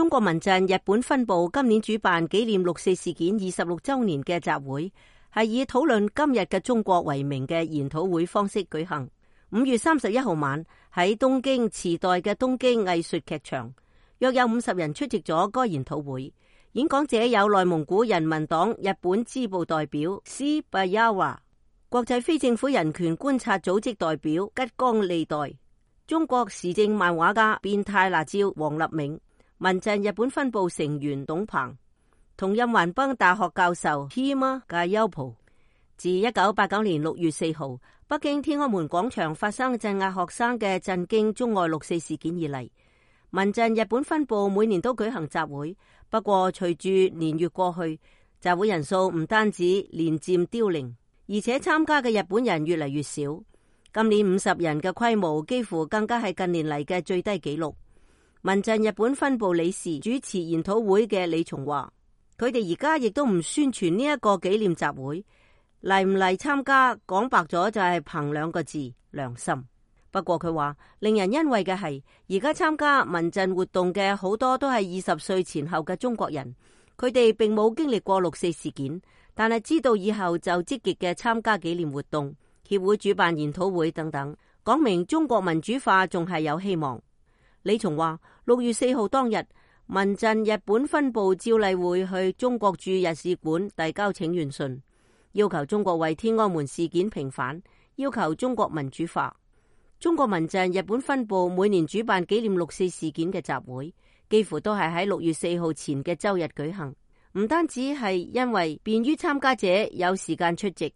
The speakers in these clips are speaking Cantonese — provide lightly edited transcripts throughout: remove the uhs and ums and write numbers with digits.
中國民陣日本分部今年主辦紀念六四事件26週年嘅集會，係以討論今日嘅中國為名嘅研討會方式舉行。5月31號晚喺東京池袋嘅東京藝術劇場，約有50人出席咗該研討會。演講者有內蒙古人民黨日本支部代表斯巴亞華、國際非政府人權觀察組織代表吉岡利代、中國時政漫畫家變態辣椒王立銘、民陣日本分部成員董鵬同任橫濱大學教授 Hima Gayopo。自1989年6月4號北京天安門廣場發生鎮壓學生嘅震驚中外六四事件以嚟，民陣日本分部每年都舉行集會。不過隨住年月過去，集會人數唔單止年漸凋零，而且參加嘅日本人越嚟越少。今年50人嘅規模幾乎更加係近年嚟嘅最低紀錄。民陣日本分部理事主持研討會嘅李松話，佢哋而家亦都唔宣傳呢一個紀念集會，嚟唔嚟參加講白咗就係憑2個字：良心。不過佢話令人欣慰嘅係，而家參加民陣活動嘅好多都係20歲前後嘅中國人，佢哋並冇經歷過六四事件，但係知道以後就積極嘅參加紀念活動、協會主辦研討會等等，講明中國民主化仲係有希望。李松話6月4號當日，民陣日本分部照例會去中國駐日使館遞交請願信，要求中國為天安門事件平反，要求中國民主化。中國民陣日本分部每年主辦紀念六四事件嘅集會，幾乎都係喺6月4號前嘅周日舉行。唔單止係因為便於參加者有時間出席，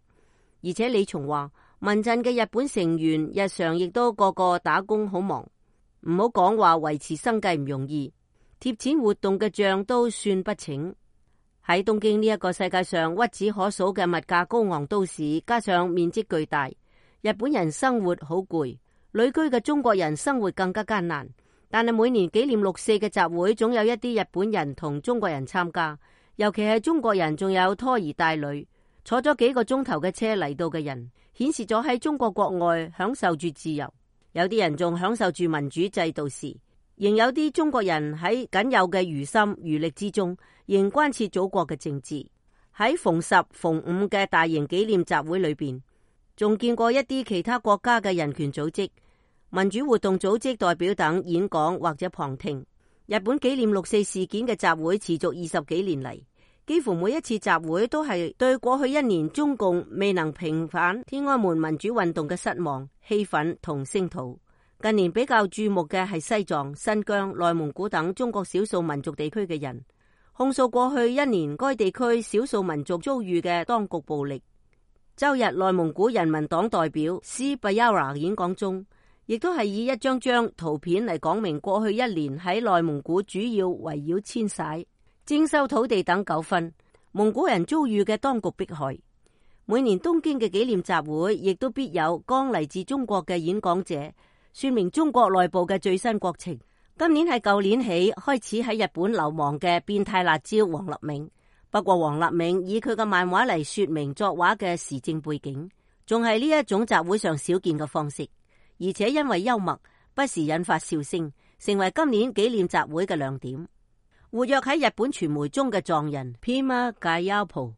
而且李松話民陣嘅日本成員日常亦都個個打工好忙，唔好講話維持生計唔容易，貼錢活動嘅賬都算不清。喺東京呢一個世界上屈指可數嘅物價高昂都市，加上面積巨大，日本人生活好攰。旅居嘅中國人生活更加艱難，但係每年紀念六四嘅集會總有一啲日本人同中國人參加，尤其係中國人仲有拖兒帶女，坐咗幾個鐘頭嘅車嚟到嘅人，顯示咗喺中國國外享受住自由。有啲人仲享受住民主制度時，仍有啲中國人喺僅有嘅餘心餘力之中，仍關切祖國嘅政治。喺逢10、逢5嘅大型紀念集會裏邊，仲見過一啲其他國家嘅人權組織、民主活動組織代表等演講或者旁聽。日本紀念六四事件嘅集會持續20幾年嚟，幾乎每一次集會都係對過去1年中共未能平反天安門民主運動嘅失望、氣憤同聲討。近年比較注目嘅係西藏、新疆、內蒙古等中國少數民族地區嘅人，控訴過去1年該地區少數民族遭遇嘅當局暴力。周日內蒙古人民黨代表斯巴亞華演講中，亦都係以一張張圖片嚟講明過去1年喺內蒙古主要圍繞遷徙、徵收土地等糾紛，蒙古人遭遇嘅當局迫害。每年東京嘅紀念集會亦都必有剛嚟自中國嘅演講者，說明中國內部嘅最新國情。今年係舊年起開始喺日本流亡嘅變態辣椒王立銘。不過王立銘以佢嘅漫畫嚟說明作畫嘅時政背景，仲係呢一種集會上少見嘅方式，而且因為幽默，不時引發笑聲，成為今年紀念集會嘅亮點。活躍喺日本傳媒中嘅藏人 Pima Gayapo，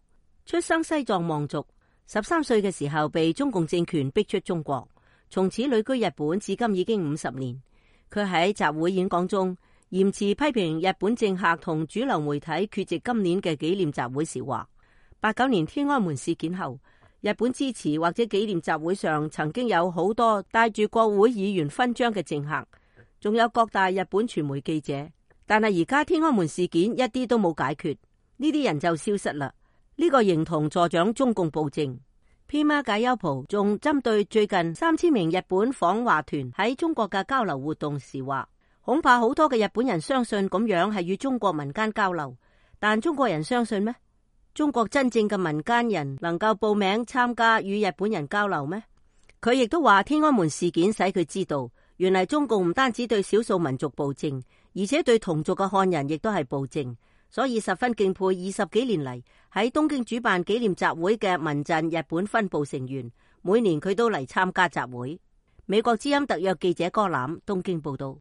出生西藏望族，13歲嘅時候被中共政權逼出中國，從此旅居日本至今已經50年。佢喺集會演講中嚴詞批評日本政客同主流媒體缺席今年嘅紀念集會時話，89年天安門事件後，日本支持或者紀念集會上曾經有好多帶住國會議員勳章嘅政客，仲有各大日本傳媒記者。但係而家天安門事件一啲都冇解決，呢啲人就消失啦。呢個形同助長中共暴政。Pima Gayopo仲針對最近3000名日本訪華團喺中國嘅交流活動時話，恐怕好多嘅日本人相信咁樣係與中國民間交流，但中國人相信咩？中國真正嘅民間人能夠報名參加與日本人交流咩？佢亦都話天安門事件使佢知道，原來中共唔單止對少數民族暴政，而且對同族嘅漢人亦都係暴政，所以十分敬佩20幾年嚟喺東京主辦紀念集會嘅民陣日本分部成員，每年佢都嚟參加集會。美國之音特約記者柯攬東京報道。